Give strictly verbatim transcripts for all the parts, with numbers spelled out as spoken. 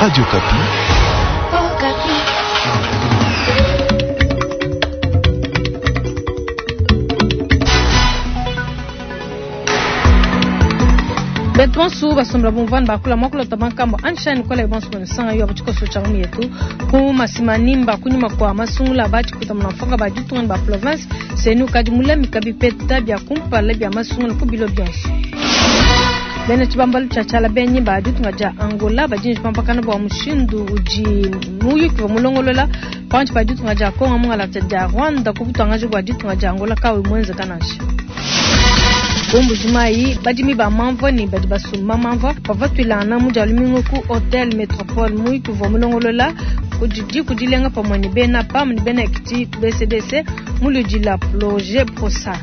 Radio Okapi. Betu bonso basombela bumvua bakula mwakulota bankambo anshani kola bonso bonisanga yo abuchikoso cha yetu ku masimanimba kunyuma kwa masungula bachi kuta mnafonga ba ditunga ba province senu kadi mulamika bipeta bya kumpala bya masungula ku bilo byonso. Bena chibambalu cha chala benyi ba ditunga ja Angola bajinji pampakana bwa mushindu uji muyuki wa mulongolola panchi ba ditunga ja Kongo mungala ja Rwanda kubutangaje bwa ditunga ja Angola kawe mwenze kanasha. Mbujimayi badimi ba mamvua ne badi basumba mamvua bavua tuilana mu dia lumingu ku Hotel Metropole muyuki uvua mulongolola kudi kudilenga pamue ne bena PAM ne bena Ekiti B C D C muludi la projet Prosa.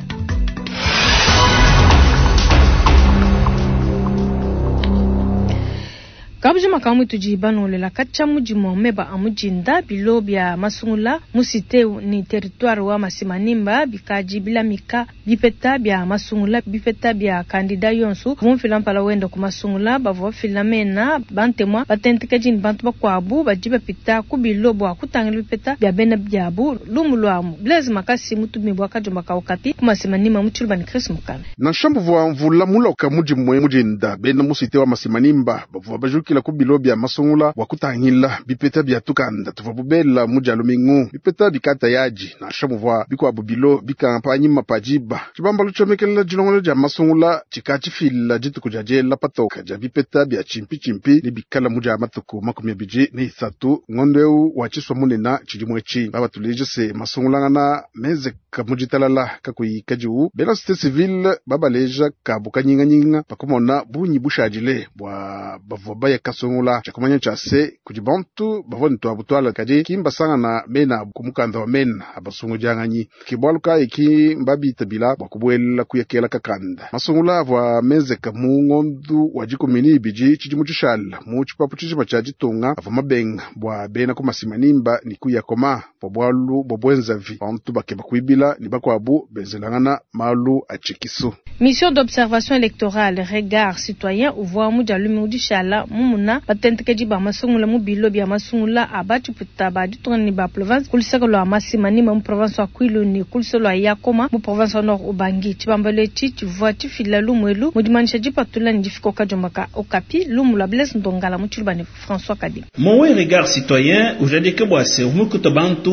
Kabujima kamwe tudi banolela kacha mudimu meba amujinda bilo bya masungula musite ni territoire wa Masimanimba bikaji bilamika bipeta bya masungula bipeta bya kandida yonsu vumfila mpala wenda ku masungula bavua filamena bantemwa batentekaji ni bantu bakwabu badi bapita ku bilo bwa kutangila bipeta bya bena byabu lumu lwamu Blaise Makasi mutumi bwa kajumba ka Okapi ku Masimanimba mutshulu bani Chris Mukana na shambu vwa mvula muloka mudimu mujinda bena musite wa Masimanimba bavua baju kila ku bilo bya masungula bwa kutangila bipeta bya tukanda tuva bubela muja lumingu bipeta bikata yaji na shamuvwa bikwabu bilo bikampanyima pajiba chibambalo chomekelela jilongolo ja masungula chikachifila jituku ja jela patoka ja bipeta bya chimpi chimpi ni bikala muja matuku makumi abiji ni isatu ngondeu wa chiswa munena chilimwechi baba tuleje se masungulangana meze kamujitalala kakuyika jiu bena cité civile babaleja kabukanyinganyinga pakumona bunyi bushajile bwa bavua baya kasungula chakumanya chase kudi bantu bavua ntwa butwala kadi kimbasanga na mena kumukanda wa mena abasungu janganyi kibwaluka iki mbabitabila bwa kubwela kuyekela kakanda masungula avua mezeka mu ngondu wa jikumini ibiji chidimu chishala mu chipapu chichima cha jitunga avua mabenga bwa bena kumasimanimba ni kuyakoma bwa bwalu bwa bwenzavi bantu bakeba kuibila ni bakwabu benzelangana malu achikisu. Mission d'observation électorale regard citoyen uvua muja lumingu dishala mumuna batentekeji ba masungula mu bilo bya masungula abachiputa ba ditunga ni ba province kulisaka lwa Masimanimba mu province wa Kwilu ni kulisa lwa Yakoma mu province wa Nord Ubangi chibambalo echi chivua chifila lumwelu mudimanisha jipatula ni jifiko kajomba ka Okapi lumu lwa Blaise Ndongala mu tshiluba ni François Kabi. Mowe regard citoyen ujadike bwase umukuto bantu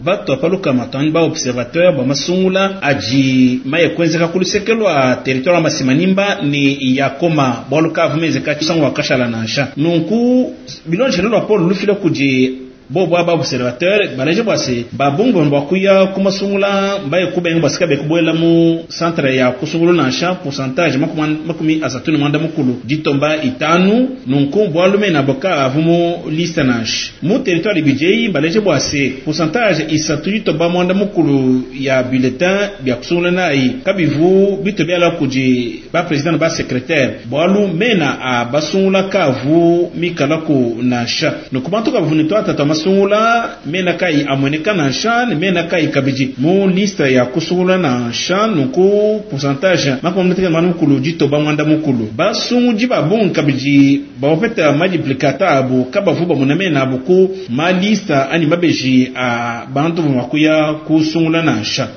bato apaluka matani ba observateur ba masungula aji maye kwenzeka kulisekelwa territoire wa Masimanimba ni Yakoma bwaluka vumezeka chisango wakashala nansha nunku bilonje lwa Paul lufila kuji bobo aba observateur baleje bwase babungu bwakuya kumasungula mbaye kubenga basika bekubwela mu centre ya kusungula nansha pourcentage makumi asatu ni mwanda mukulu ditomba itanu nunku bwalume na boka avumu liste nansha mu territoire B J baleje bwase pourcentage isatu ditomba mwanda mukulu ya bulletin bya kusungula nayi kabivu bito byala kuji ba president ba secrétaire bwalume na abasungula kavu mikala ku nansha nunku bantu kavuni twata masungula mena kai amweneka na nsha mena kai kabiji mu liste ya kusungula na nsha nuku pourcentage makomuteka manu mukulu ditoba mwanda mukulu basungu babungu kabiji bawapeta multiplicata abu kabavuba munamena abu ku ma liste ani mabeji a bantu makuya kusungula na nsha.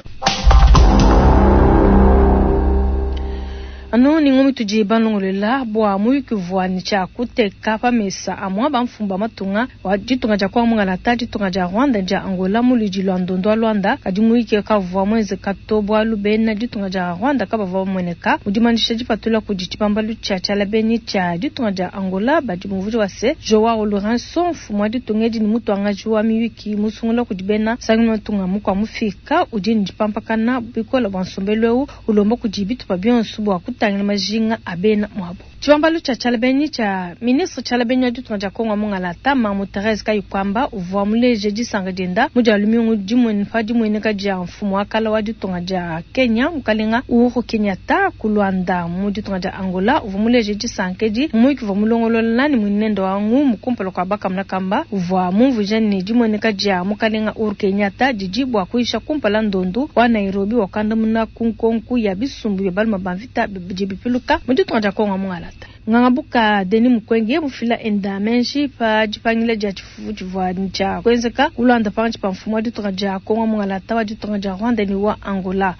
Ano ni ngomi tudi balongolela bwa muyuki vua ni cha kuteka pamesa amwa bamfumba matunga wa ditunga dia kwa mungala ta ditunga dia Rwanda dia Angola muludi lwa ndondo wa Luanda kadi muyuki kavua mweze kato bwa lubena ditunga dia Rwanda kabavua mweneka mudimanisha dipatula kudi tshibambalu tshia tshialabeni tshia ditunga dia Angola badi muvuji wa se Joao Lourenço mfumu wa ditunga edi ni mutuangaji wa miyuki musungula kudi bena sangi matunga mukwa mufika udi ni dipampakana bikola bwa nsombelu eu ulomba kudi bitupa bionso bwa kutangila majinga abena mwabo. Tshibambalu tshia tshialabeni tshia ministre tshialabeni wa ditunga dia Kongo mungala ta Mamu Therese Kayikwamba uvua muleje disanga dienda mu dia lumingu dimwe pa dimueneka dia mfumu wa kala wa ditunga dia Kenya mukalenga Uhuru Kenyatta ku Luanda mu ditunga dia Angola uvua muleje disanka edi muyuki uvua mulongolola ni muinende wa ngumu kumpala kua bakamuna kamba uvua mumvuija ne dimueneka dia mukalenga Uhuru Kenyatta didi bua kuyisha kumpala ndondu wa Nairobi wakandamuna ku nkonku ya bisumbu bia baluma ba mvita bidi bipiluka mu ditunga dia Kongo mungala. Nganga Buka Denis Mukwege mufila enda menji pa dipangila dia tshifufu tshivua tshia kuenzeka ku Luanda pankatshi pa mfumu wa ditunga dia Kongo mungalata wa ditunga dia Rwanda ne wa Angola.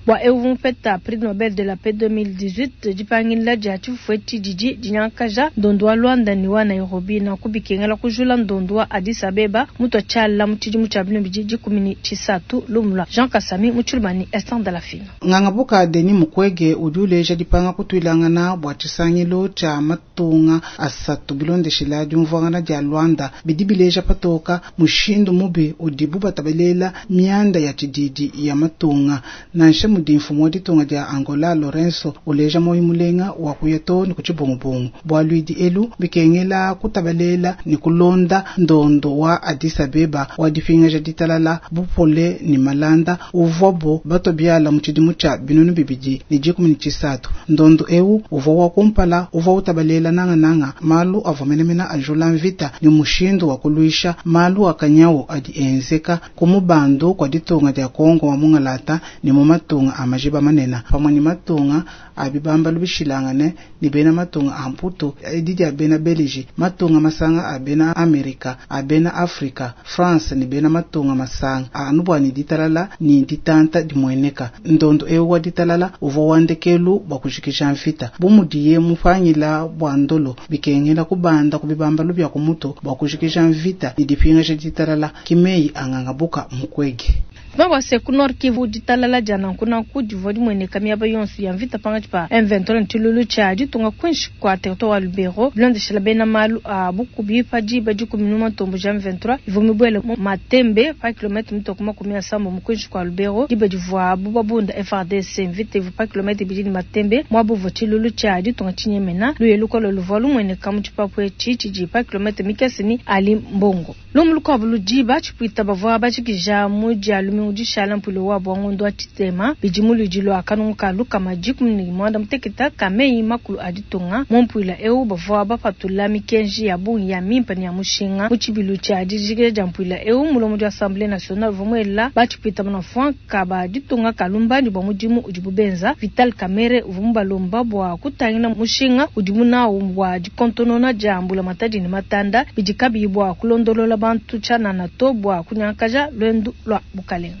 Bua eu mupeta prix Nobel de la paix deux mille dix-huit, dipangila dia tshifufu etshi didi dinyangakaja ndondo wa Luanda ne wa Nairobi na kubikengela kujula ndondo wa Addis Abeba mutu tshiala mu tshidimu tshia binu bidi dikumi ne tshisatu lumula Jean Kasami mu Tshilumani Esther Dalafina. Nganga Buka Denis Mukwege udi uleja dipanga kutuilangana bua tshisangilu tshia matunga asatu bilondeshila diumvuangana dia Luanda bidi bileja patoka mushindu mubi udibu batabelela mianda ya tshididi ya matunga nansha mudi mfumu wa ditunga dia Angola Lorenzo uleja moyo mulenga wa kuya to ni kuchibungubungu bua luidi elu bikengela kutabelela ni kulonda ndondo wa Addis Abeba wa dipingaja ditalala bupole ni malanda uvobo batobiala mu tshidimu tshia binunu bibidi ni dikumi ni tshisatu ndondo eu uvua wa kumpala uvua utabalela nanga nanga malu avua menemene ajula mvita ni mushindu wa kuluisha malu akanyawo adi enzeka kumubandu kwa ditunga dia Kongo wa mungalata ni mu matunga a majiba manena pamwe ni matunga abibamba lubishilangane ni bena matunga a Mputu edi dia bena Belgique matunga masanga a bena Amerika a bena Afrika France ni bena matunga masanga anu ni ditalala ni ditanta dimweneka ndondo eu wa ditalala uvua wandekelu bua kujikija mvita bumudiye mupangila bua ndolo bikengela kubanda kubibamba lubya kumuto bua kujikija mvita ni dipingaja ditalala kimeyi anganga Buka Mukwege. Mabase ku Nord Kivu ditalala dia nankunanku divua dimweneka miaba yonso ya mvita pankatshi pa M vingt-trois ne tshilulu tshia ditunga kuinshi kua territoire wa Lubero bilondeshela bena malu a bukubi pa diba dikumi ne matombo ja M vingt-trois ivua mibuele mu Matembe pa kilomètre mitoko makumi asambo mu kuinshi kua Lubero diba divuabu babunda F R D C mvita ivua pa kilomètre ibidi ne Matembe muabu uvua tshilulu tshia ditunga tshinyemena luye lukolo luvua lumueneka mu tshipapu etshi tshidi pa kilomètre mikese ni Ali Mbongo. Lumu lukuabu ludiba tshipuita bavua batshikija mu dia lumingu dishala mpuilo wa bwangondo wa tshitema bidi mu ludi lua kanungu ka lukama dikumi ne mwanda muteketa ka meyi makulu a ditunga mu mpuila eu bavua bapatula mikenji ya bungi ya mimpa ne ya mushinga mu tshibilu tshia dijikija dia mpuila eu mulomo dia Assemblée nationale uvua muela batshipita manafuanka ba ditunga kalumbandi bua mudimu udibu benza Vital Kamerhe uvua mubalomba bua kutangila mushinga udimu nawu bua dikontonona dia mbula matadi ne matanda bidi kabiyi bua kulondolola bantu tshianana to bua kunyangakaja lwendu lwa bukalenga.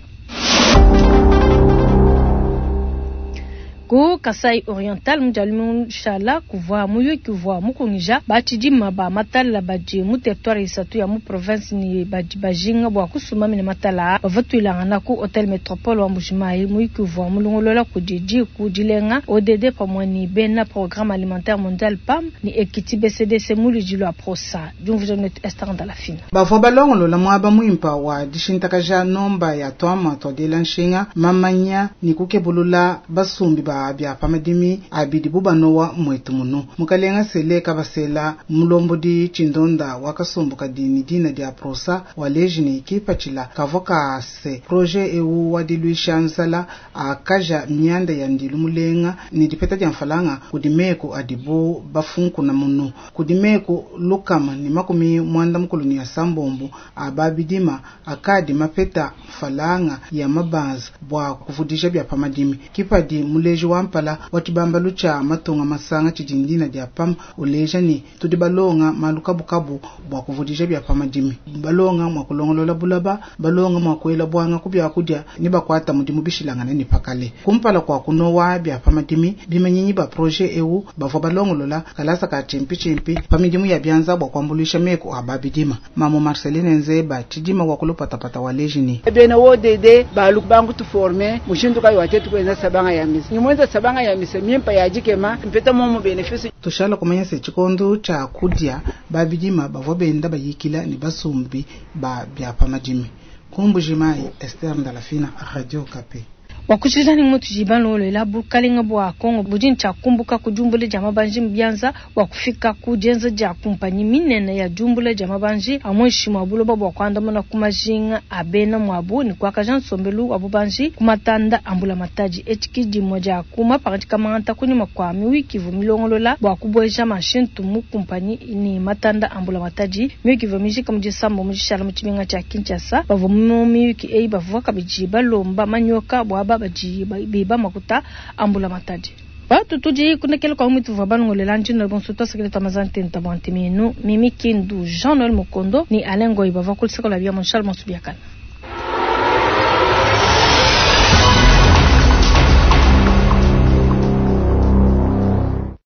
Ku Kasai Oriental mujalumu shala kuvua muyuki kuvua mukungija batshidima ba matala badi mu territoire isatu ya mu province ni badi bajinga bua kusuma mine matala bavatuilangana ku Hotel Metropole wa Mbujimayi muyuki kuvua mulongolola kudi diku dilenga O D D pamwe ni bena programme alimentaire mondial P A M ni Ekiti B C D C muludi lwa Prosa diumvuja netu Esther Ndalafina. Bavua balongolola muaba muimpa wa dishintakaja nomba ya twama twadila nshinga mamanya ni kukebulula basumbi ba bya pamadimi abidi bubanowa mwetu muno mukalenga sele kabasela mulombodi chindonda wakasumbuka dini dina dia Prosa waleji ni kipachila kavoka se projet eu wadiluisha nzala akaja mianda ya ndilu mulenga ni dipeta dia mfalanga kudimeko adibu bafunku na muno kudimeko lukama ni makumi mwanda mukulu ni asambombo ababidima akadi mapeta mfalanga ya mabanza bwa kuvudisha bya pamadimi kipadi muleji wampala watibamba lucha matunga masanga chijindina dia pam uleja ni tudi balonga malukabukabu bwa kuvudisha bya pamadimi balonga mwa kulongolola bulaba balonga mwa kuela bwanga kubya kudya ni bakwata mudimu bishilangana ni pakale kumpala kwa kunowa bya pamadimi bimanyinyi ba projet eu bavua balongolola kalasa ka chimpi chimpi pamidimu ya byanza bwa kwambulisha meko ababidima mamo Marceline Nzeba chidima wa kulupatapata waleji ni bena O D D balubangu tuforme mushindu kayo watetu kwenza sabanga ya misi nimwenza sabanga ya misi mimpa ya jikema mpeta momo benefice tushala kumanya se chikondo cha kudya babidima bavua benda bayikila ni basumbi ba bya pamadimi kumbujimai Esther Ndalafina Radio Kapi. Wakushizani mutu jibano lela bukalenga bwa Kongo bujini cha kumbuka kujumbule ja mabanji mbyanza wakufika kujenza ja kumpanyi minene ya jumbule ja mabanji amweshi mwabulo bwa kwandamana kumajinga abena mwabu ni kwa kajan sombelu wabubanji kumatanda ambula mataji echikiji moja kuma pakati kamanta kunyuma kwa miwiki vumilongolola bwa kubweja mashintu mu kumpanyi ni matanda ambula mataji miwiki vumijika mujisambo mujishala muchiminga cha Kinshasa bavumu miwiki ei bavuka kabiji balomba manyoka bwa baji biba makuta ambula matadi. Batu tudi kunekele kwa mwitu vwa balongolela njino bonso twasakile twamazantenta bwa ntemenu Mimi Kindu Jean Noël Mukondo ni Alain Ngoyi bava kulisaka la bia Charles Mansubiakana.